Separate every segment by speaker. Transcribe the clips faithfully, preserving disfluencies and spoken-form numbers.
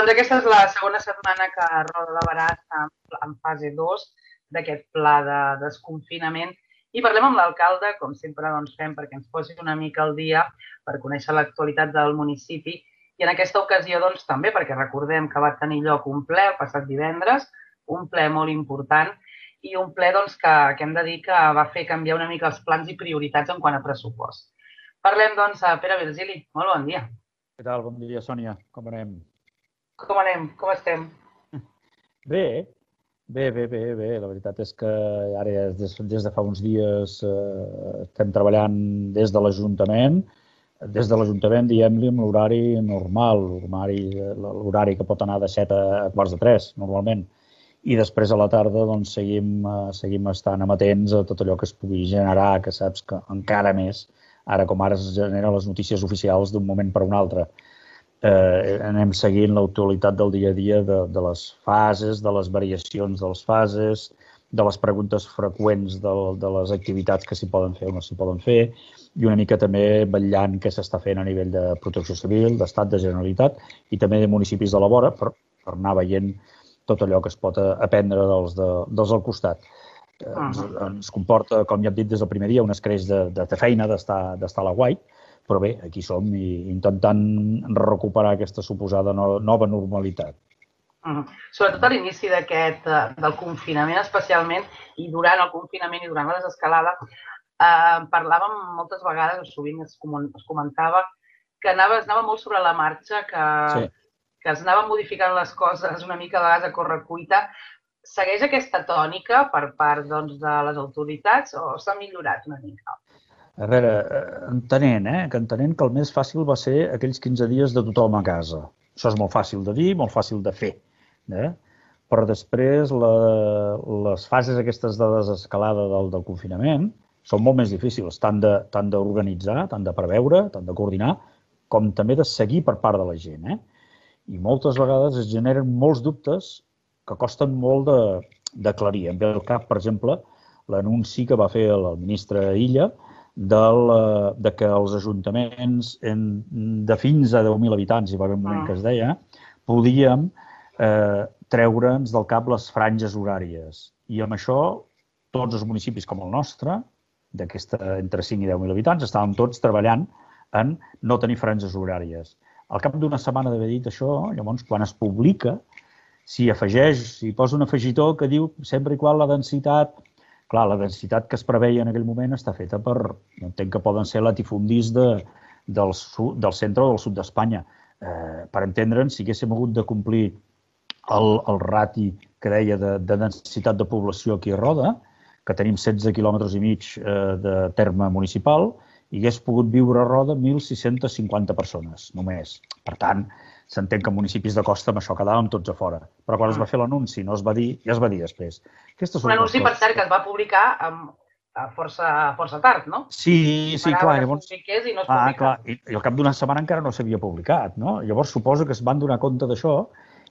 Speaker 1: Doncs aquesta és la segona setmana que Roda de Berà està en fase dos d'aquest pla de desconfinament i parlem amb l'alcalde, com sempre doncs, fem perquè ens posi una mica al dia per conèixer l'actualitat del municipi i en aquesta ocasió doncs, també perquè recordem que va tenir lloc un ple el passat divendres, un ple molt important i un ple doncs, que, que hem de dir que va fer canviar una mica els plans i prioritats en quant a pressupost. Parlem doncs a Pere Virgili. Molt bon dia.
Speaker 2: Què tal? Bon dia, Sònia. Com anem?
Speaker 1: Com anem? Com estem?
Speaker 2: Bé, bé, bé, bé, bé. La veritat és que ara des, des de fa uns dies eh, estem treballant des de l'Ajuntament, des de l'Ajuntament, diguem-li, amb l'horari normal, l'horari que pot anar de set a quarts de tres, normalment. I després a la tarda doncs, seguim, eh, seguim estant amatents a tot allò que es pugui generar, que saps que encara més, ara com ara es generen les notícies oficials d'un moment per un altre. Eh, anem seguint l'actualitat del dia a dia de, de les fases, de les variacions de les fases, de les preguntes freqüents de, de les activitats que s'hi poden fer o no s'hi poden fer, i una mica també vetllant què s'està fent a nivell de protecció civil, d'estat, de Generalitat, i també de municipis de la vora, per, per anar veient tot allò que es pot aprendre dels, de, dels al costat. Eh, ens, ens comporta, com ja hem dit des del primer dia, un escreix de, de, de feina d'estar a la guai, però bé, aquí som i intentant recuperar aquesta suposada no, nova normalitat.
Speaker 1: Uh -huh. Sobretot a l'inici d'aquest, del confinament especialment, i durant el confinament i durant la desescalada, eh, parlàvem moltes vegades, sovint es, es comentava, que anava, es anava molt sobre la marxa, que, sí. que es anaven modificant les coses una mica a vegades a correcuita. Segueix aquesta tònica per part doncs, de les autoritats o s'ha millorat una mica?
Speaker 2: A veure, entenent, eh, que entenent que el més fàcil va ser aquells quinze dies de tothom a casa. Això és molt fàcil de dir, molt fàcil de fer. Eh? Però després la, les fases aquestes de desescalada del, del confinament són molt més difícils, tant d'organitzar, tant de preveure, tant de coordinar, com també de seguir per part de la gent. Eh? I moltes vegades es generen molts dubtes que costen molt d'aclarir. Em ve al cap, per exemple, l'anunci que va fer el ministre Illa del, de que els ajuntaments en, de fins a deu mil habitants, hi va haver un moment que es deia, podíem eh, treure'ns del cap les franges horàries. I amb això, tots els municipis com el nostre, d'aquesta entre cinc i deu mil habitants, estàvem tots treballant en no tenir franges horàries. Al cap d'una setmana d'haver dit això, llavors, quan es publica, s'hi afegeix, s'hi posa un afegitó que diu sempre i quan la densitat... Clar, la densitat que es preveia en aquell moment està feta per... Entenc que poden ser latifundis de, del, sud, del centre o del sud d'Espanya. Eh, per entendre'ns, si haguéssim hagut de complir el, el rati que deia de, de densitat de població aquí a Roda, que tenim setze quilòmetres i mig eh, de terme municipal, hi hagués pogut viure a Roda mil sis-centes cinquanta persones, només. Per tant, s'entén que en municipis de costa amb això quedàvem tots a fora. Però quan es va fer l'anunci, no es va dir, ja es va dir després.
Speaker 1: Un anunci, per cert, que es va publicar amb força, força tard, no?
Speaker 2: Sí, sí, clar.
Speaker 1: Llavors, i no es
Speaker 2: ah, clar. I, I al cap d'una setmana encara no s'havia publicat, no? Llavors suposo que es van donar compte d'això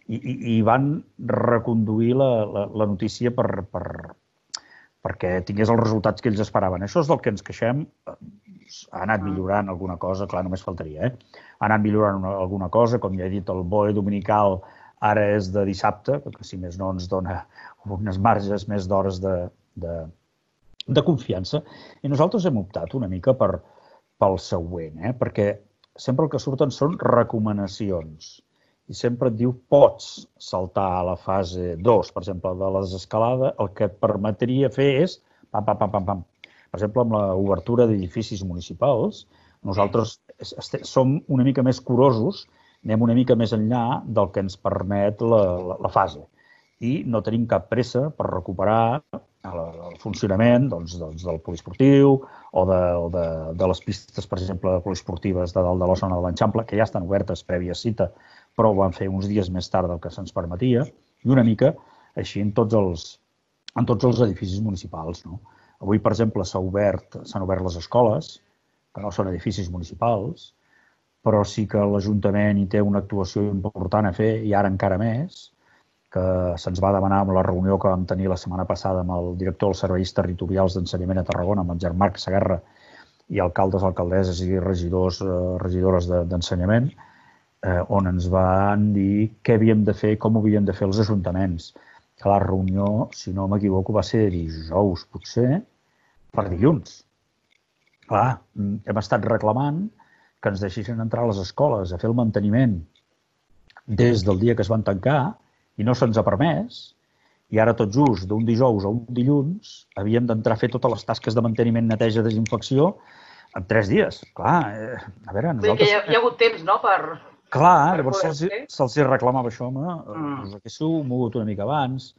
Speaker 2: i, i, i van reconduir la, la, la notícia per, per, perquè tingués els resultats que ells esperaven. Això és del que ens queixem. Ha anat millorant alguna cosa, clar, només faltaria, eh? Ha anat millorant una, alguna cosa, com ja he dit, el B O E dominical ara és de dissabte, perquè si més no ens dona unes marges més d'hores de, de, de confiança. I nosaltres hem optat una mica per, pel següent, eh? Perquè sempre el que surten són recomanacions. I sempre et diu, pots saltar a la fase dos, per exemple, de la desescalada, el que et permetria fer és pam, pam, pam, pam, pam. Per exemple, amb l'obertura d'edificis municipals, nosaltres som una mica més curosos, anem una mica més enllà del que ens permet la, la, la fase. I no tenim cap pressa per recuperar el, el funcionament doncs, doncs, del poliesportiu o, de, o de, de les pistes, per exemple, poliesportives de dalt de la zona de l'Enxample, que ja estan obertes prèvia cita, però ho van fer uns dies més tard del que se'ns permetia, i una mica així en tots els, en tots els edificis municipals, no? Avui, per exemple, s'han obert, s'han obert les escoles, que no són edificis municipals, però sí que l'Ajuntament hi té una actuació important a fer, i ara encara més, que se'ns va demanar amb la reunió que vam tenir la setmana passada amb el director dels serveis territorials d'ensenyament a Tarragona, amb en Jean-Marc Saguerra, i alcaldes, alcaldesses i regidors, regidores d'ensenyament, eh, on ens van dir què havíem de fer, com ho havíem de fer els ajuntaments. Que la reunió, si no m'equivoco, va ser dijous, potser, per dilluns. Clar, hem estat reclamant que ens deixessin entrar a les escoles a fer el manteniment des del dia que es van tancar i no se'ns ha permès, i ara tot just d'un dijous a un dilluns havíem d'entrar a fer totes les tasques de manteniment, neteja, desinfecció en tres dies. Clar, eh, a veure, nosaltres...
Speaker 1: Vull dir que hi ha, hi ha hagut temps, no?, per...
Speaker 2: Clar,
Speaker 1: per
Speaker 2: llavors
Speaker 1: poder
Speaker 2: se'ls
Speaker 1: fer.
Speaker 2: se reclamava això, home,
Speaker 1: Mm.
Speaker 2: us haguéssiu mogut una mica abans.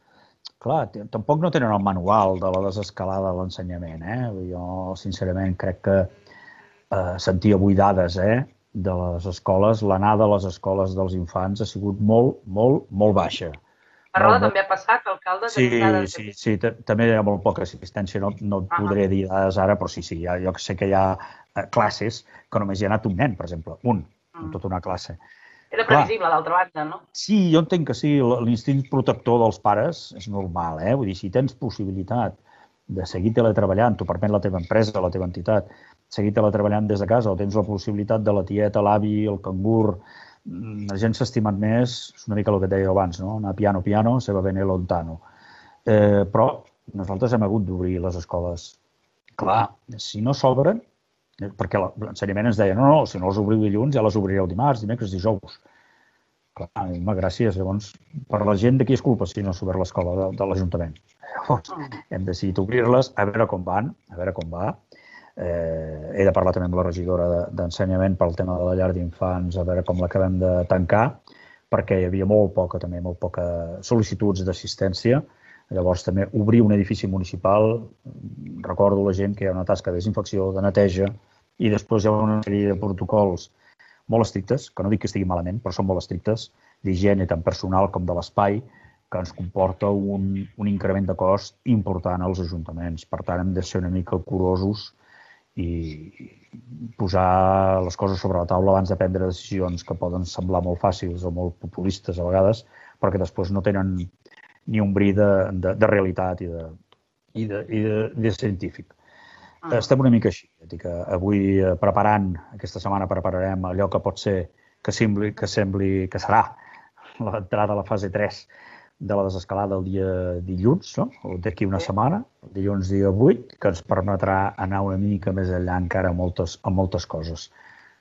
Speaker 2: Clar, tampoc no tenen el manual de la desescalada de l'ensenyament, eh? Jo, sincerament, crec que eh, sentia buidades, eh?, de les escoles. L'anada a les escoles dels infants ha sigut molt, molt, molt baixa.
Speaker 1: A Roda també ha passat, alcalde?
Speaker 2: Sí,
Speaker 1: Tenim dades
Speaker 2: sí,
Speaker 1: aquí?
Speaker 2: sí, també hi ha molt poca assistència, no, no et
Speaker 1: Ah.
Speaker 2: podré dir dades ara, però sí, sí, ja, jo sé que hi ha eh, classes que només hi ha anat un nen, per exemple, un, en
Speaker 1: Mm.
Speaker 2: tota una classe.
Speaker 1: Era
Speaker 2: Clar.
Speaker 1: previsible, d'altra banda, no?
Speaker 2: Sí, jo entenc que sí, l'instint protector dels pares és normal, eh? Vull dir, si tens possibilitat de seguir teletreballant, t'ho permet la teva empresa, la teva entitat, seguir teletreballant des de casa, o tens la possibilitat de la tieta, l'avi, el cangur, la gent s'ha estimat més, és una mica el que et deia abans, no? Anar piano, piano, se va bene lontano. Eh, però nosaltres hem hagut d'obrir les escoles. Clar, si no s'obren, perquè l'ensenyament ens deia, no, no, si no les obriu dilluns ja les obrireu dimarts, dimecres, dijous. Clar, gràcies. Llavors, per la gent de qui és culpa si no s'ha obert l'escola de, de l'Ajuntament? Llavors, hem decidit obrir-les, a veure com van, a veure com va. Eh, he de parlar també amb la regidora d'Ensenyament pel tema de la llar d'infants, a veure com l'acabem de tancar, perquè hi havia molt poca, també, molt poca sol·licituds d'assistència. Llavors, també obrir un edifici municipal, recordo la gent que hi ha una tasca de desinfecció, de neteja, i després hi ha una sèrie de protocols molt estrictes, que no dic que estigui malament, però són molt estrictes, d'higiene tant personal com de l'espai, que ens comporta un, un increment de cost important als ajuntaments. Per tant, hem de ser una mica curosos i posar les coses sobre la taula abans de prendre decisions que poden semblar molt fàcils o molt populistes a vegades, perquè després no tenen ni un bri de, de, de realitat i de, i de, i de, de científic. Ah. Estem una mica així. Que avui preparant, aquesta setmana prepararem allò que pot ser, que sembli que, sembli, que serà l'entrada a la fase tres de la desescalada el dia dilluns, no? D'aquí una setmana, dilluns dia vuit, que ens permetrà anar una mica més enllà encara a moltes, a moltes coses.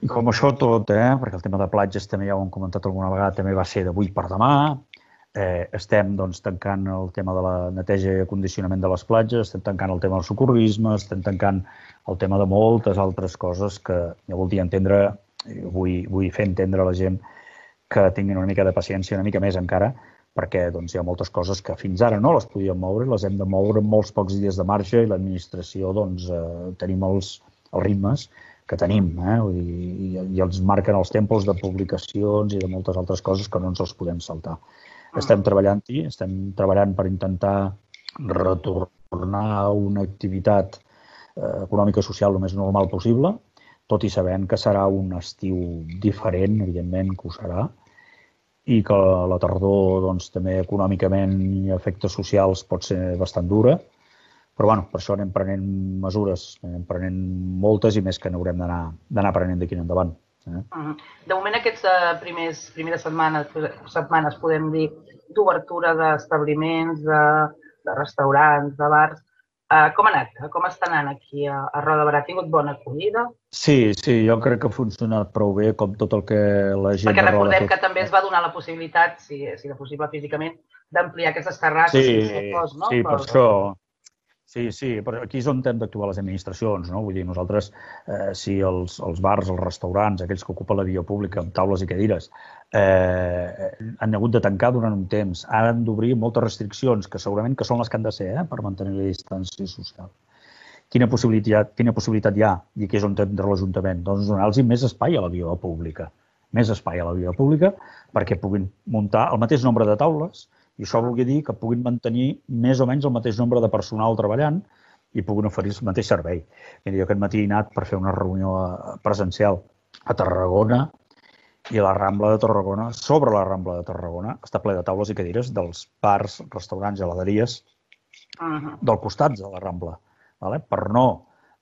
Speaker 2: I com això tot, eh, perquè el tema de platges també ja ho hem comentat alguna vegada, també va ser d'avui per demà, eh, estem doncs, tancant el tema de la neteja i acondicionament de les platges, estem tancant el tema del socorrisme, estem tancant el tema de moltes altres coses que jo voldria entendre, vull, vull fer entendre a la gent que tinguin una mica de paciència, una mica més encara, perquè doncs, hi ha moltes coses que fins ara no les podíem moure, les hem de moure amb molts pocs dies de marge i l'administració doncs, eh, tenim els, els ritmes que tenim, eh? I, i els marquen els tempos de publicacions i de moltes altres coses que no ens els podem saltar. Estem treballant-hi, estem treballant per intentar retornar a una activitat eh, econòmica i social el més normal possible, tot i sabent que serà un estiu diferent, evidentment que ho serà, i que la tardor doncs, també econòmicament i efectes socials pot ser bastant dura, però bueno, per això anem prenent mesures, anem prenent moltes i més que n'haurem d'anar prenent d'aquí en endavant. Eh?
Speaker 1: De moment aquests primers, primeres setmanes, setmanes podem dir d'obertura d'establiments, de, de restaurants, de bars. Uh, com ha anat? Com està anant aquí a, a Roda de Berà? Ha tingut bona acollida?
Speaker 2: Sí, sí, jo crec que ha funcionat prou bé, com tot el que la gent...
Speaker 1: Perquè recordem que també es va donar la possibilitat, si, si era possible físicament, d'ampliar aquestes terrasses.
Speaker 2: Sí,
Speaker 1: que fos, no?
Speaker 2: sí, per això... Sí, sí, però aquí és on hem d'actuar les administracions, no? Vull dir, nosaltres, eh, si els, els bars, els restaurants, aquells que ocupen la via pública amb taules i cadires, eh, han hagut de tancar durant un temps, han d'obrir moltes restriccions, que segurament que són les que han de ser, eh, per mantenir la distància social. Quina possibilitat, quina possibilitat hi ha? I aquí és on entra l'Ajuntament? Doncs donar-los més espai a la via pública. Més espai a la via pública perquè puguin muntar el mateix nombre de taules. I això vol dir que puguin mantenir més o menys el mateix nombre de personal treballant i puguin oferir el mateix servei. Mira, jo aquest matí he anat per fer una reunió presencial a Tarragona i la Rambla de Tarragona, sobre la Rambla de Tarragona, està ple de taules i cadires dels bars, restaurants i heladeries del costat de la Rambla, per no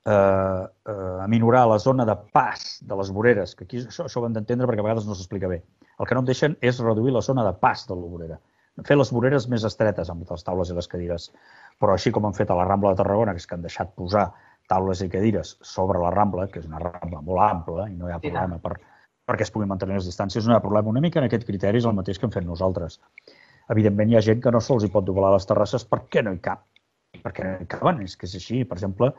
Speaker 2: eh, eh, aminorar la zona de pas de les voreres, que aquí això, això ho hem d'entendre perquè a vegades no s'explica bé. El que no em deixen és reduir la zona de pas de la vorera. Fer les voreres més estretes amb les taules i les cadires. Però així com han fet a la Rambla de Tarragona, que és que han deixat posar taules i cadires sobre la Rambla, que és una Rambla molt ampla i no hi ha problema per, perquè es puguin mantenir les distàncies, no hi ha problema. Una mica en aquest criteri és el mateix que hem fet nosaltres. Evidentment, hi ha gent que no se'ls hi pot doblar les terrasses perquè no hi cap. Perquè no hi caben, és que és així. Per exemple,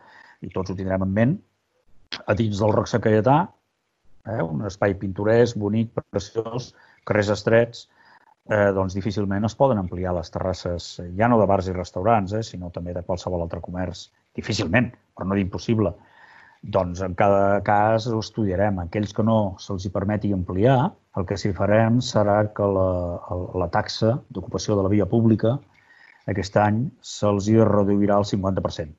Speaker 2: i tots ho tindrem en ment, a dins del Roc Sacaietà, eh, un espai pintoresc, bonic, preciós, carrers estrets, eh, doncs difícilment es poden ampliar les terrasses, ja no de bars i restaurants, eh, sinó també de qualsevol altre comerç. Difícilment, però no d'impossible. Doncs en cada cas ho estudiarem. Aquells que no se'ls hi permeti ampliar, el que s'hi farem serà que la, la taxa d'ocupació de la via pública aquest any se'ls hi reduirà al cinquanta per cent.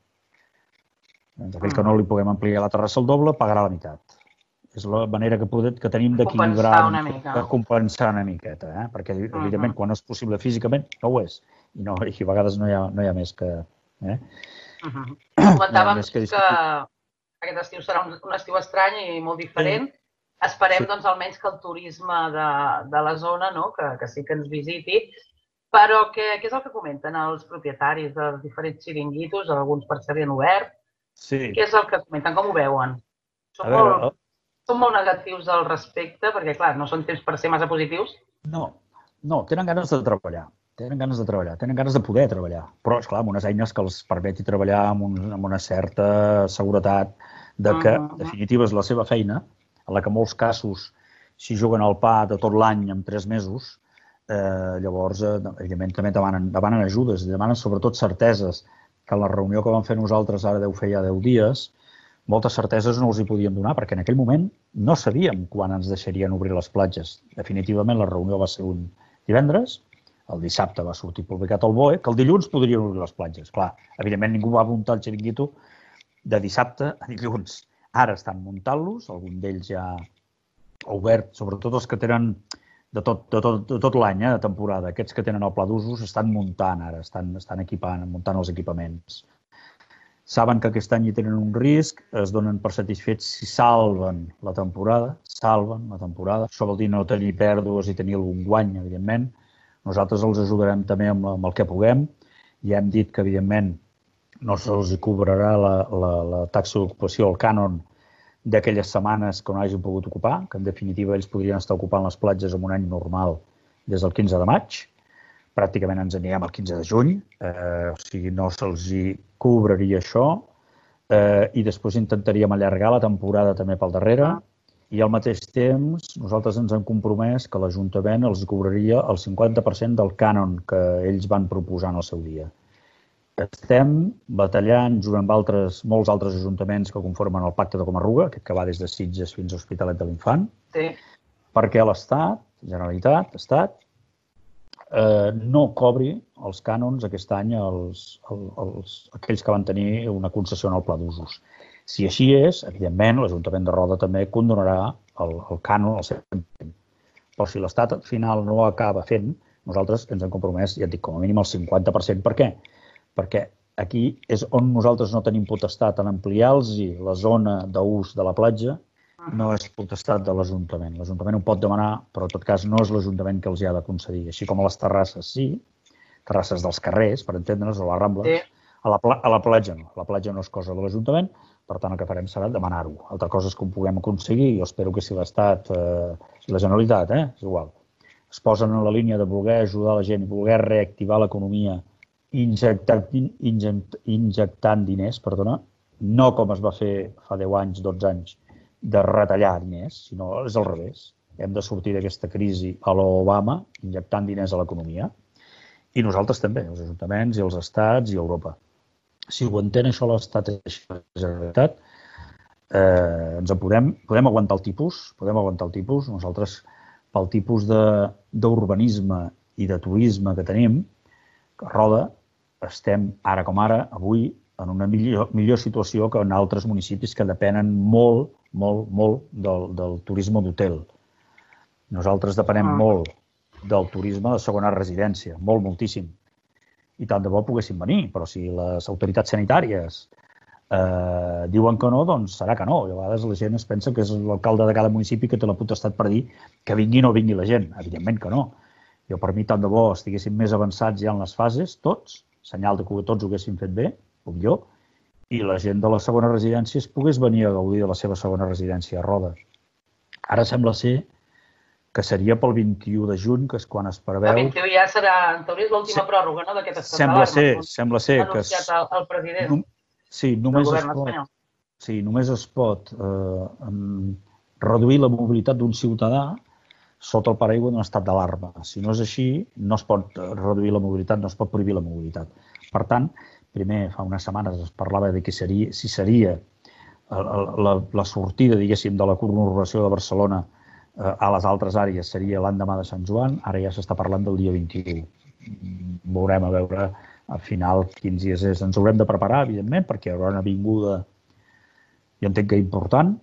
Speaker 2: Doncs aquell que no li puguem ampliar la terrassa al doble pagarà la meitat. És la manera que, podem, que tenim d'equilibrar, de compensar una miqueta, eh? Perquè, evidentment, quan és possible físicament, no ho és. I, no, i a vegades no hi ha, no hi ha més que... Eh?
Speaker 1: Uh -huh. Comentàvem que, que aquest estiu serà un, un estiu estrany i molt diferent. Sí. Esperem, sí. doncs, almenys que el turisme de, de la zona, no? que, que sí que ens visiti. Però què, què és el que comenten els propietaris dels diferents xiringuitos? Alguns per cert han obert. Sí. Què és el que comenten? Com ho veuen? Són, veure, molt, són molt negatius al respecte, perquè, clar, no són temps per ser massa positius.
Speaker 2: No, no, tenen ganes de treballar. Tenen ganes de treballar, tenen ganes de poder treballar. Però, esclar, amb unes eines que els permeti treballar amb, un, amb una certa seguretat de que, en definitiva, és la seva feina, en la que en molts casos s'hi juguen al pa de tot l'any en tres mesos. Eh, llavors, eh, evidentment, també demanen, demanen ajudes, demanen sobretot certeses, que en la reunió que vam fer nosaltres ara deu fer ja deu dies, moltes certeses no els hi podíem donar, perquè en aquell moment no sabíem quan ens deixarien obrir les platges. Definitivament, la reunió va ser un divendres, el dissabte va sortir publicat al B O E, que el dilluns podrien obrir les platges. Clar, evidentment, ningú va muntar el xiringuito de dissabte a dilluns. Ara estan muntant-los, algun d'ells ja ha obert, sobretot els que tenen de tot, de tot, de tot l'any, eh, de temporada. Aquests que tenen el pla d'usos estan muntant ara, estan, estan equipant, muntant els equipaments. Saben que aquest any hi tenen un risc, es donen per satisfets si salven la temporada, salven la temporada. Això vol dir no tenir pèrdues i tenir algun guany, evidentment. Nosaltres els ajudarem també amb, amb el que puguem. Ja hem dit que, evidentment, no se'ls cobrarà la, la, la taxa d'ocupació, el cànon, d'aquelles setmanes que no hagin pogut ocupar, que en definitiva ells podrien estar ocupant les platges en un any normal des del quinze de maig. Pràcticament ens anirem al quinze de juny, eh, o sigui, no se'ls hi cobraria això, eh, i després intentaríem allargar la temporada també pel darrere, i al mateix temps nosaltres ens hem compromès que l'Ajuntament els cobraria el cinquanta per cent del cànon que ells van proposar en el seu dia. Estem batallant junt amb altres, molts altres ajuntaments que conformen el Pacte de Comarruga, aquest que va des de Sitges fins a Hospitalet de l'Infant, sí. perquè l'Estat, Generalitat, Estat, eh, no cobri els cànons aquest any als, als, aquells que van tenir una concessió en el pla d'usos. Si així és, evidentment, l'Ajuntament de Roda també condonarà el, el cànon al cent per cent. Però si l'Estat al final no ho acaba fent, nosaltres ens hem compromès, ja et dic, com a mínim el cinquanta per cent. Per què? Perquè aquí és on nosaltres no tenim potestat en ampliar-los la zona d'ús de la platja, no és potestat de l'Ajuntament. L'Ajuntament ho pot demanar, però en tot cas no és l'Ajuntament que els hi ha de concedir. Així com a les terrasses, sí, terrasses dels carrers, per entendre'ns, o les Rambles, sí. a, la a la platja no. La platja no és cosa de l'Ajuntament, per tant el que farem serà demanar-ho. Altra cosa és que ho puguem aconseguir, jo espero que si l'Estat eh, i la Generalitat, eh, és igual, es posen en la línia de voler ajudar la gent i voler reactivar l'economia Injectant, inject, injectant diners, perdona, no com es va fer fa deu anys, dotze anys, de retallar diners, sinó és al revés. Hem de sortir d'aquesta crisi a l'Obama, injectant diners a l'economia, i nosaltres també, els ajuntaments i els estats i Europa. Si ho entén això l'Estat i la Generalitat, eh, ens en podem, podem aguantar el tipus, podem aguantar el tipus. Nosaltres, pel tipus d'urbanisme i de turisme que tenim, a Roda, estem, ara com ara, avui, en una millor, millor situació que en altres municipis que depenen molt, molt, molt del, del turisme d'hotel. Nosaltres depenem ah. molt del turisme de segona residència, molt, moltíssim. I tant de bo poguéssim venir, però si les autoritats sanitàries eh, diuen que no, doncs serà que no. I a vegades la gent es pensa que és l'alcalde de cada municipi que té la potestat per dir que vingui o no vingui la gent. Evidentment que no. Jo, per mi, tant de bo estiguéssim més avançats ja en les fases, tots, senyal de que tots ho haguéssim fet bé, com jo, i la gent de les segones residències pogués venir a gaudir de la seva segona residència a Roda. Ara sembla ser que seria pel vint-i-u de juny, que és quan es preveu...
Speaker 1: El vint-i-u ja serà, en teoria, és l'última pròrroga, no?, d'aquest estat
Speaker 2: Sembla ser, sembla ser que...
Speaker 1: Ha anunciat el, el president
Speaker 2: sí,
Speaker 1: del govern espanyol.
Speaker 2: Sí, només es pot eh, reduir la mobilitat d'un ciutadà sota el paraigua d'un estat d'alarma. Si no és així, no es pot reduir la mobilitat, no es pot prohibir la mobilitat. Per tant, primer, fa unes setmanes es parlava de que seria, si seria la, la sortida, diguéssim, de la conurbació de Barcelona a les altres àrees seria l'endemà de Sant Joan, ara ja s'està parlant del dia vint-i-u. Veurem a veure al final quins dies és. Ens haurem de preparar, evidentment, perquè hi haurà una vinguda, jo entenc que important,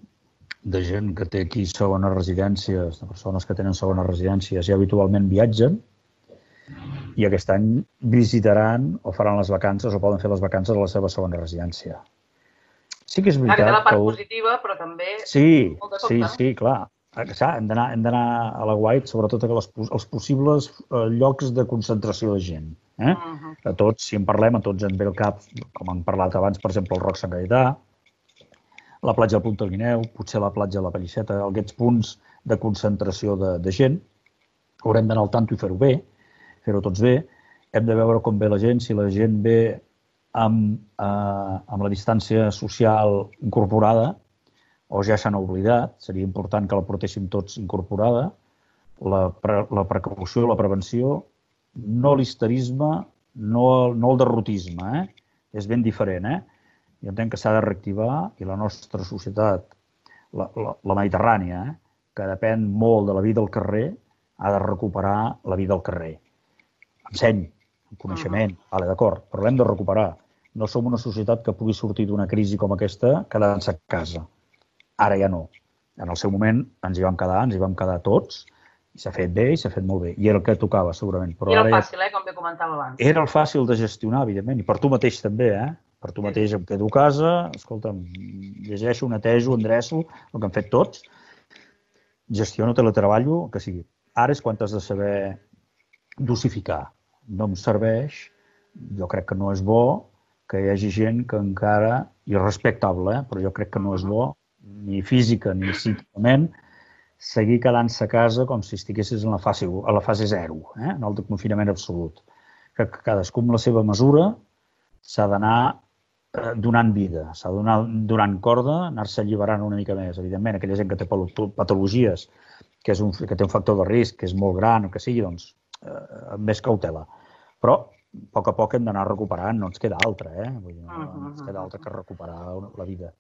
Speaker 2: de gent que té aquí segones residències, de persones que tenen segones residències i habitualment viatgen, i aquest any visitaran o faran les vacances o poden fer les vacances a la seva segona residència. Sí que és veritat que...
Speaker 1: Aquesta és la part positiva, però també...
Speaker 2: Sí, sí, sí, clar. Hem d'anar a la guait, sobretot als possibles llocs de concentració de gent. A tots, si en parlem, a tots ens ve al cap, com hem parlat abans, per exemple, el Roc Sant Gaetà, la platja del Punta del Guineu, potser la platja de la Pallisseta, aquests punts de concentració de gent. Haurem d'anar al tanto i fer-ho bé, fer-ho tots bé. Hem de veure com ve la gent, si la gent ve amb la distància social incorporada, o ja s'han oblidat, seria important que la portéssim tots incorporada, la precaució, la prevenció, no l'histerisme, no el derrotisme, és ben diferent. Jo entenc que s'ha de reactivar i la nostra societat, la mediterrània, que depèn molt de la vida al carrer, ha de recuperar la vida al carrer. Amb seny, amb coneixement, d'acord, però l'hem de recuperar. No som una societat que pugui sortir d'una crisi com aquesta quedant-se a casa. Ara ja no. En el seu moment ens hi vam quedar, ens hi vam quedar tots, i s'ha fet bé i s'ha fet molt bé. I era el que tocava, segurament.
Speaker 1: I era el fàcil, com bé comentava abans.
Speaker 2: Era el fàcil de gestionar, evidentment, i per tu mateix també, eh? Per tu mateix em quedo a casa, escolta'm, llegeixo, netejo, endreço, el que han fet tots, gestiono, teletreballo, el que sigui. Ara és quan has de saber dosificar. No em serveix, jo crec que no és bo que hi hagi gent que encara, i respectable, però jo crec que no és bo, ni física ni psíquicament, seguir quedant-se a casa com si estiguessis a la fase zero, en el confinament absolut. Que cadascú amb la seva mesura s'ha d'anar donant vida, s'ha de donar donant corda, anar-se alliberant una mica més. Evidentment, aquella gent que té patologies, que té un factor de risc, que és molt gran o que sigui, doncs, amb més cautela. Però, a poc a poc hem d'anar recuperant, no ens queda altra, eh? No ens queda altra que recuperar la vida.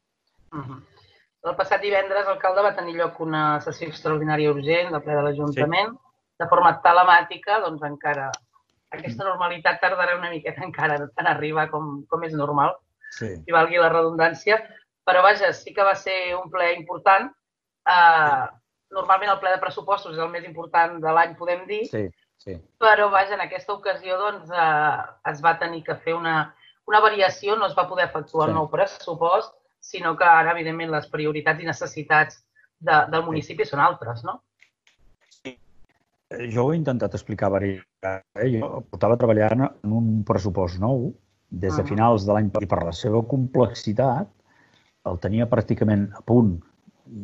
Speaker 1: El passat divendres, l'alcalde va tenir lloc una sessió extraordinària urgent del ple de l'Ajuntament, de forma telemàtica, doncs encara aquesta normalitat tardarà una miqueta encara en arribar com és normal, si valgui la redundància, però vaja, sí que va ser un ple important. Normalment el ple de pressupostos és el més important de l'any, podem dir, però vaja, en aquesta ocasió es va tenir que fer una variació, no es va poder efectuar el nou pressupost, sinó que ara, evidentment, les prioritats i necessitats del municipi són altres, no?
Speaker 2: Sí. Jo ho he intentat explicar diverses vegades. Jo portava treballant en un pressupost nou des de finals de l'any i per la seva complexitat el tenia pràcticament a punt,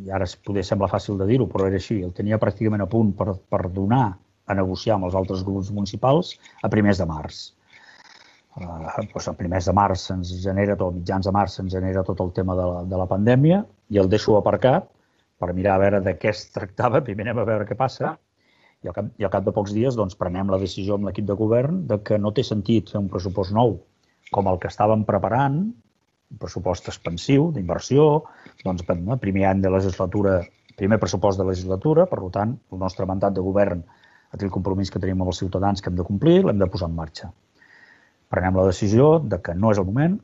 Speaker 2: i ara poder sembla fàcil de dir-ho, però era així, el tenia pràcticament a punt per donar a negociar amb els altres grups municipals a primers de març. A primers de març se'ns genera tot, mitjans de març se'ns genera tot el tema de la pandèmia i el deixo aparcat per mirar a veure de què es tractava, primer anem a veure què passa i al cap de pocs dies prenem la decisió amb l'equip de govern que no té sentit fer un pressupost nou com el que estàvem preparant, un pressupost expansiu, d'inversió, primer any de legislatura, primer pressupost de legislatura, per tant, el nostre mandat de govern, el compromís que tenim amb els ciutadans que hem de complir, l'hem de posar en marxa. Prenem la decisió que no és el moment,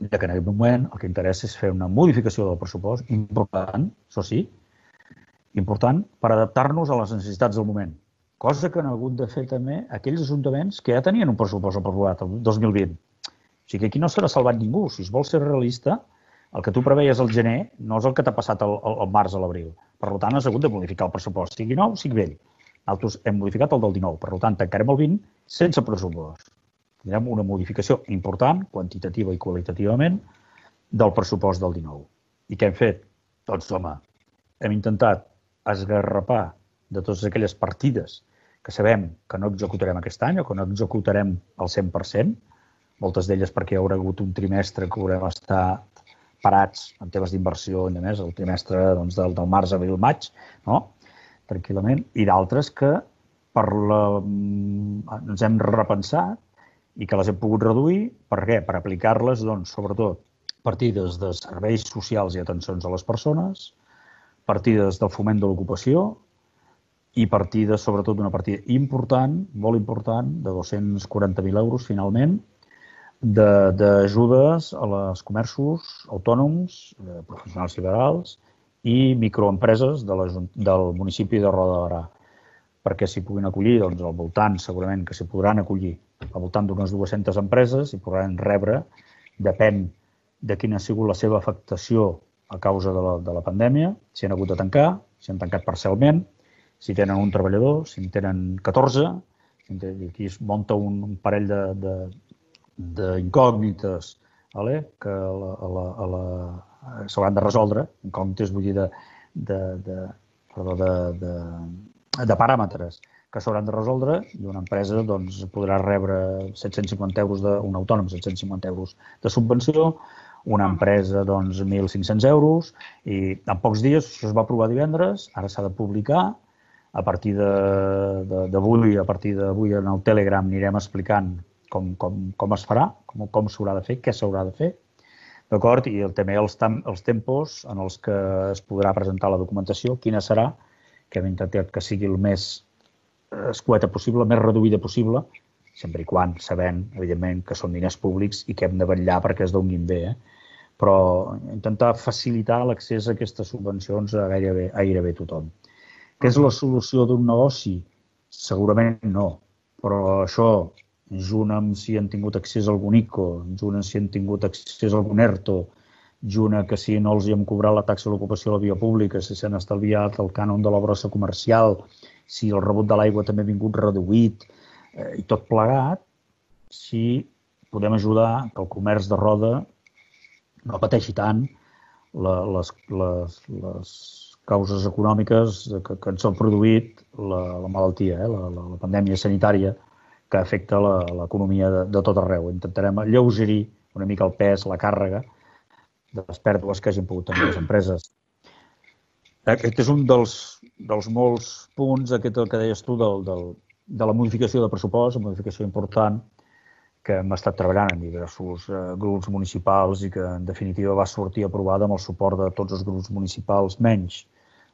Speaker 2: que en aquest moment el que interessa és fer una modificació del pressupost important, això sí, important per adaptar-nos a les necessitats del moment, cosa que han hagut de fer també aquells ajuntaments que ja tenien un pressupost aprovat el dos mil vint. O sigui que aquí no s'ha salvat ningú. Si es vol ser realista, El que tu preveies al gener no és el que t'ha passat al, al març a l'abril. Per tant, has hagut de modificar el pressupost, sigui nou, sigui vell. Nosaltres hem modificat el del dinou, per tant, tancarem el vint sense pressupost. Tindrem una modificació important, quantitativa i qualitativament, del pressupost del dinou. I què hem fet? Doncs, home, hem intentat esgarrapar de totes aquelles partides que sabem que no executarem aquest any o que no executarem al cent per cent, moltes d'elles perquè hi haurà hagut un trimestre que haurem estat parats en temes d'inversió i més, el trimestre doncs, del, del març, abril, maig, no? Tranquil·lament, i d'altres que per la... ens hem repensat i que les hem pogut reduir. Per què? Per aplicar-les, doncs, sobretot, partides de serveis socials i atencions a les persones, partides del foment de l'ocupació i partides, sobretot, d'una partida important, molt important, de dos-cents quaranta mil euros, finalment, d'ajudes a les comerços autònoms, professionals liberals i microempreses de la, del municipi de Roda de Berà, perquè s'hi puguin acollir, doncs, al voltant, segurament que s'hi podran acollir, al voltant d'unes dues-centes empreses i podran rebre, depèn de quina ha sigut la seva afectació a causa de la, de la pandèmia, si han hagut de tancar, si han tancat parcialment, si tenen un treballador, si en tenen catorze, i aquí es munta un, un parell de, de, d'incògnites vale? Que a la, a la, s'hauran de resoldre, incògnites vull dir de, de, de, perdó, de, de, de paràmetres que s'hauran de resoldre i una empresa doncs, podrà rebre set-cents cinquanta euros, de, un autònom set-cents cinquanta euros de subvenció, una empresa doncs, mil cinc-cents euros i en pocs dies, això es va aprovar divendres, ara s'ha de publicar, a partir d'avui, a partir d'avui en el Telegram anirem explicant com, com, com es farà, com, com s'haurà de fer, què s'haurà de fer, d'acord? I també els, els tempos en els que es podrà presentar la documentació, quina serà, que hem intentat que sigui el més escueta possible, el més reduïda possible, sempre i quan sabent, evidentment, que són diners públics i que hem de vetllar perquè es donin bé, eh? Però intentar facilitar l'accés a aquestes subvencions a gairebé, a gairebé tothom. Que és la solució d'un negoci? Segurament no, però això, junt amb si han tingut accés a algun I C O, junt amb si han tingut accés a algun ERTO, junt amb que si no els hi hem cobrat la taxa d'ocupació a la via pública, si s'han estalviat el cànon de la brossa comercial, si el rebut de l'aigua també ha vingut reduït, eh, i tot plegat, si podem ajudar que el comerç de Roda no pateixi tant la, les, les, les causes econòmiques que, que ens han produït la, la malaltia, eh, la, la, la pandèmia sanitària que afecta l'economia de, de tot arreu. Intentarem alleugerir una mica el pes, la càrrega de les pèrdues que hagin pogut tenir les empreses. Aquest és un dels, dels molts punts, aquest el que deies tu, del, del, de la modificació de pressupost, una modificació important que hem estat treballant en diversos eh, grups municipals i que, en definitiva, va sortir aprovada amb el suport de tots els grups municipals, menys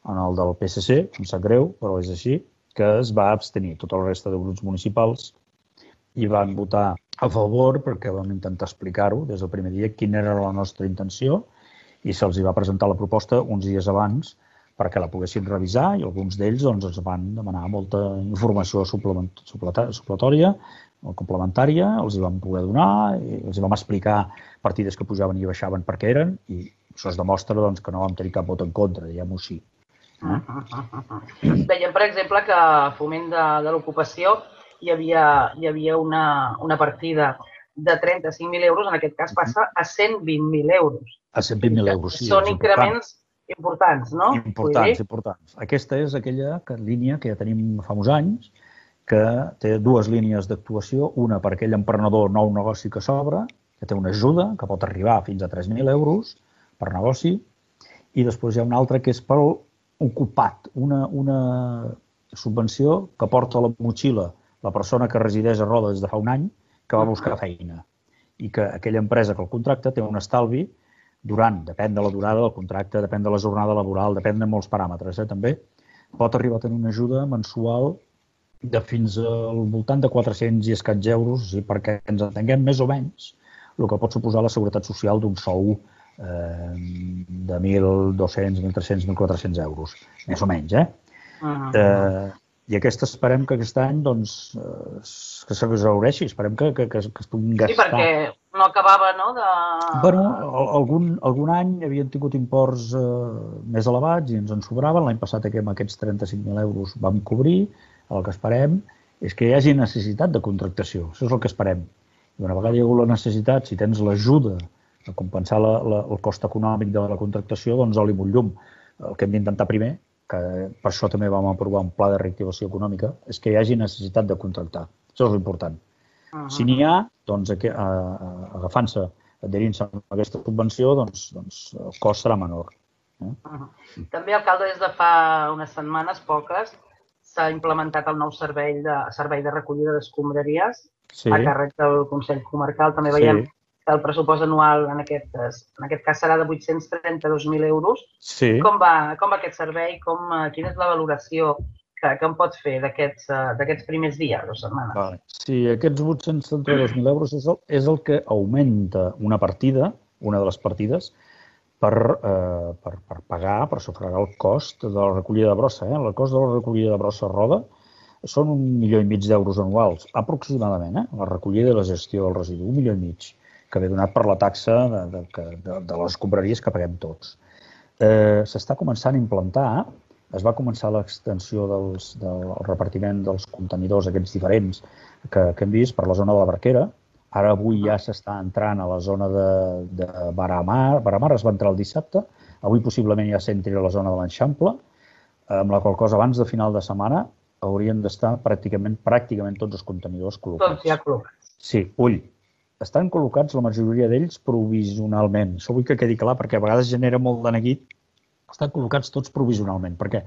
Speaker 2: en el del P S C, em sap greu, però és així, que es va abstenir. Tota la resta de grups municipals i van votar a favor perquè vam intentar explicar-ho des del primer dia quina era la nostra intenció i se'ls va presentar la proposta uns dies abans perquè la poguessin revisar i alguns d'ells doncs, ens van demanar molta informació supletòria o complementària, els hi vam poder donar, i els hi vam explicar partides que pujaven i baixaven per què eren i això es demostra doncs, que no vam tenir cap vot en contra, diguem-ho així. Eh?
Speaker 1: Veiem, per exemple, que a foment de, de l'ocupació hi havia, hi havia una, una partida de trenta-cinc mil euros, en aquest cas passa a cent vint mil euros.
Speaker 2: A cent vint mil euros, sí.
Speaker 1: Són increments importants, no?
Speaker 2: Importants, importants. Aquesta és aquella línia que ja tenim fa uns anys, que té dues línies d'actuació, una per aquell emprenedor nou negoci que s'obre, que té una ajuda, que pot arribar fins a tres mil euros per negoci, i després hi ha una altra que és per ocupat, una, una subvenció que porta a la motxilla la persona que resideix a Roda des de fa un any, que va buscar feina, i que aquella empresa que el contracta té un estalvi durant, depèn de la durada del contracte, depèn de la jornada laboral, depèn de molts paràmetres, eh, també, pot arribar a tenir una ajuda mensual de fins al voltant de quatre-cents i escaig euros, o sigui, perquè ens entenguem més o menys el que pot suposar la seguretat social d'un sou eh, de mil dos-cents, mil tres-cents, mil quatre-cents euros, més o menys, eh? Uh-huh. eh I aquesta esperem que aquest any doncs, que s'exhaureixi, esperem que, que, que es puguin gastar.
Speaker 1: Sí, perquè no acabava, no? De...
Speaker 2: Bueno, algun, algun any havien tingut imports eh, més elevats i ens en sobraven. L'any passat amb aquests trenta-cinc mil euros vam cobrir. El que esperem és que hi hagi necessitat de contractació. Això és el que esperem. I una vegada hi ha hagut la necessitat, si tens l'ajuda a compensar la, la, el cost econòmic de la contractació, doncs oli amb un llum. El que hem d'intentar primer, que per això també vam aprovar un pla de reactivació econòmica, és que hi hagi necessitat de contractar. Això és l'important. Uh -huh. Si n'hi ha, doncs, agafant-se, adherint-se a aquesta subvenció, doncs, doncs el cost serà menor. Eh?
Speaker 1: Uh -huh. També, alcalde, des de fa unes setmanes, poques, s'ha implementat el nou servei de, servei de recollida d'escombraries sí. a càrrec del Consell Comarcal. També veiem sí. que el pressupost anual en aquest, en aquest cas serà de vuit-cents trenta-dos mil euros. Sí. Com va, com va aquest servei? Com, quina és la valoració que, que em pot fer d'aquests primers dies o setmanes?
Speaker 2: Vale. Sí, aquests vuit-cents trenta-dos mil euros és el, és el que augmenta una partida, una de les partides, per, eh, per, per pagar, per sufragar el cost de la recollida de brossa. Eh? El cost de la recollida de brossa a Roda són un milió i mig d'euros anuals, aproximadament, eh? La recollida i la gestió del residu, un milió i mig, que ve donat per la taxa de, de, de, de les escombraries que paguem tots. Eh, S'està començant a implantar, es va començar l'extensió dels, del repartiment dels contenidors aquests diferents que, que hem vist per la zona de la Barquera. Ara avui ja s'està entrant a la zona de, de Baramar. Baramar es va entrar el dissabte. Avui possiblement ja s'entri a la zona de l'Eixample, amb la qual cosa abans de final de setmana haurien d'estar pràcticament, pràcticament tots els contenidors col·locats.
Speaker 1: Tots ja col·locats.
Speaker 2: Sí, ull. Estan col·locats la majoria d'ells provisionalment. Això vull que quedi clar perquè a vegades genera molt de neguit. Estan col·locats tots provisionalment. Per què?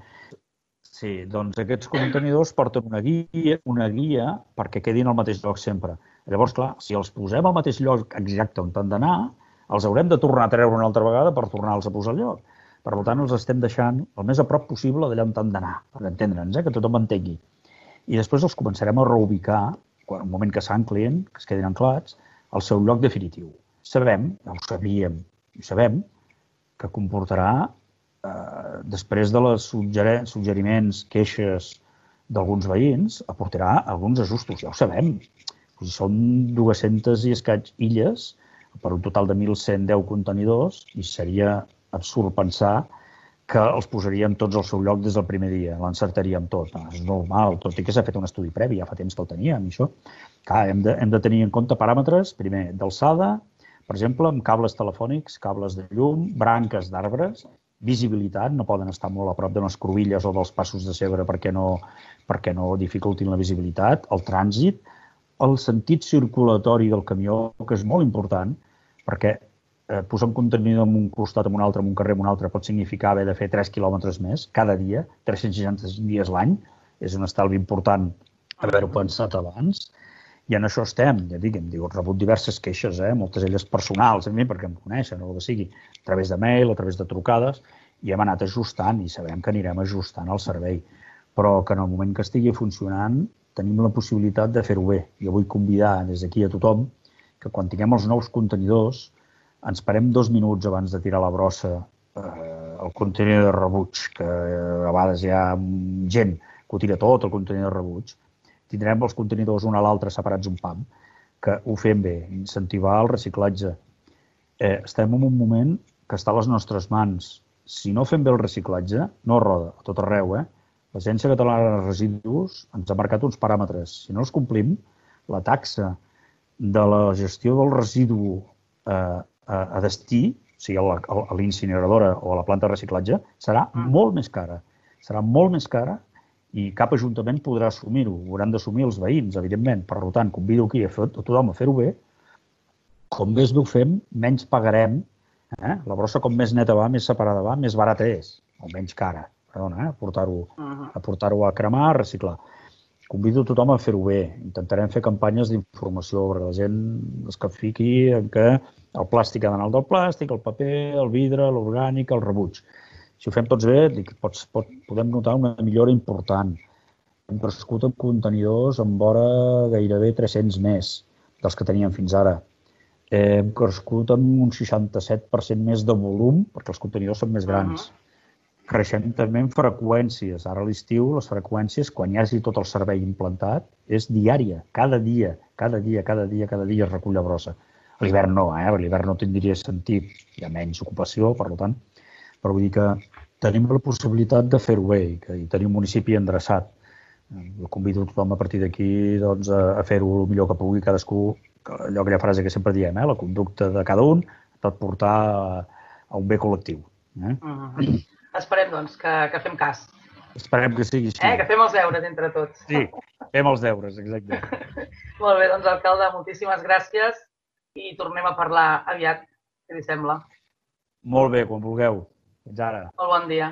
Speaker 2: Sí, doncs aquests contenidors porten una guia, una guia perquè quedin al mateix lloc sempre. Llavors, clar, si els posem al mateix lloc exacte on han d'anar, els haurem de tornar a treure una altra vegada per tornar-los a posar al lloc. Per tant, els estem deixant el més a prop possible d'allà on han d'anar, per entendre'ns, eh? Que tothom entengui. I després els començarem a reubicar, quan, en un moment que s'anclin, que es quedin anclats, al seu lloc definitiu. Sabem, ja ho sabíem, ho sabem, que comportarà, eh, després de les suggeriments, queixes d'alguns veïns, aportarà alguns ajustos, ja ho sabem. Si són dues-centes i escaig illes, per un total de mil cent deu contenidors, i seria absurd pensar que els posaríem tots al seu lloc des del primer dia, l'encertaríem tot. No, és normal, tot i que s'ha fet un estudi previ, ja fa temps que el teníem, això. Clar, hem de, hem de tenir en compte paràmetres, primer, d'alçada, per exemple, amb cables telefònics, cables de llum, branques d'arbres, visibilitat, no poden estar molt a prop de les cruïlles o dels passos de cebre perquè no, perquè no dificultin la visibilitat, el trànsit, el sentit circulatori del camió, que és molt important, perquè eh, posar un contenidor en un costat, en un altre, en un carrer, en un altre, pot significar haver de fer tres quilòmetres més cada dia, tres-cents seixanta-cinc dies l'any, és un estalvi important haver-ho pensat abans, i en això estem, ja dic, hem rebut diverses queixes, eh, moltes elles personals, a mi, perquè em coneixen, o el que sigui, a través de mail, a través de trucades, i hem anat ajustant, i sabem que anirem ajustant el servei, però que en el moment que estigui funcionant tenim la possibilitat de fer-ho bé. Jo vull convidar des d'aquí a tothom que quan tinguem els nous contenidors ens parem dos minuts abans de tirar la brossa eh, el contenidor de rebuig, que a vegades hi ha gent que ho tira tot, el contenidor de rebuig. Tindrem els contenidors un a l'altre separats un pam, que ho fem bé, incentivar el reciclatge. Eh, estem en un moment que està a les nostres mans. Si no fem bé el reciclatge, no roda, a tot arreu, eh? L'Agència Catalana de Residus ens ha marcat uns paràmetres. Si no els complim, la taxa de la gestió del residu eh, a, a destí, o sigui, a l'incineradora o a la planta de reciclatge, serà molt més cara. Serà molt més cara i cap ajuntament podrà assumir-ho. Ho hauran d'assumir els veïns, evidentment. Per tant, convido aquí a, fer, a tothom a fer-ho bé. Com més bé ho fem, menys pagarem. Eh? La brossa, com més neta va, més separada va, més barata és, o menys cara. Perdona, eh? portar-ho a, portar a cremar, a reciclar. Convido tothom a fer-ho bé. Intentarem fer campanyes d'informació perquè la gent es que fiqui en què el plàstic ha d'anar al del plàstic, el paper, el vidre, l'orgànic, el rebuig. Si ho fem tots bé, dic, pots, pot, podem notar una millora important. Hem crescut amb contenidors amb vora gairebé tres-cents més dels que teníem fins ara. Hem crescut amb un seixanta-set per cent més de volum, perquè els contenidors són més grans. Uh-huh. Creixem també en freqüències. Ara a l'estiu, les freqüències, quan hi hagi tot el servei implantat, és diària. Cada dia, cada dia, cada dia, cada dia es recull la brossa. A l'hivern no, eh? A l'hivern no tindria sentit, hi ha menys ocupació, per tant, però vull dir que tenim la possibilitat de fer-ho bé i que hi tenim un municipi endreçat. Jo convido tothom a partir d'aquí doncs, a fer-ho el millor que pugui cadascú, allò aquella frase que sempre diem, eh? La conducta de cada un pot portar a un bé col·lectiu. Eh?
Speaker 1: Mm-hmm. Esperem, doncs, que, que fem cas.
Speaker 2: Esperem que sigui així.
Speaker 1: Eh? Que fem els deures entre tots.
Speaker 2: Sí, fem els deures, exacte.
Speaker 1: Molt bé, doncs, alcalde, moltíssimes gràcies i tornem a parlar aviat, si li sembla.
Speaker 2: Molt bé, quan vulgueu. Fins ara.
Speaker 1: Molt bon dia.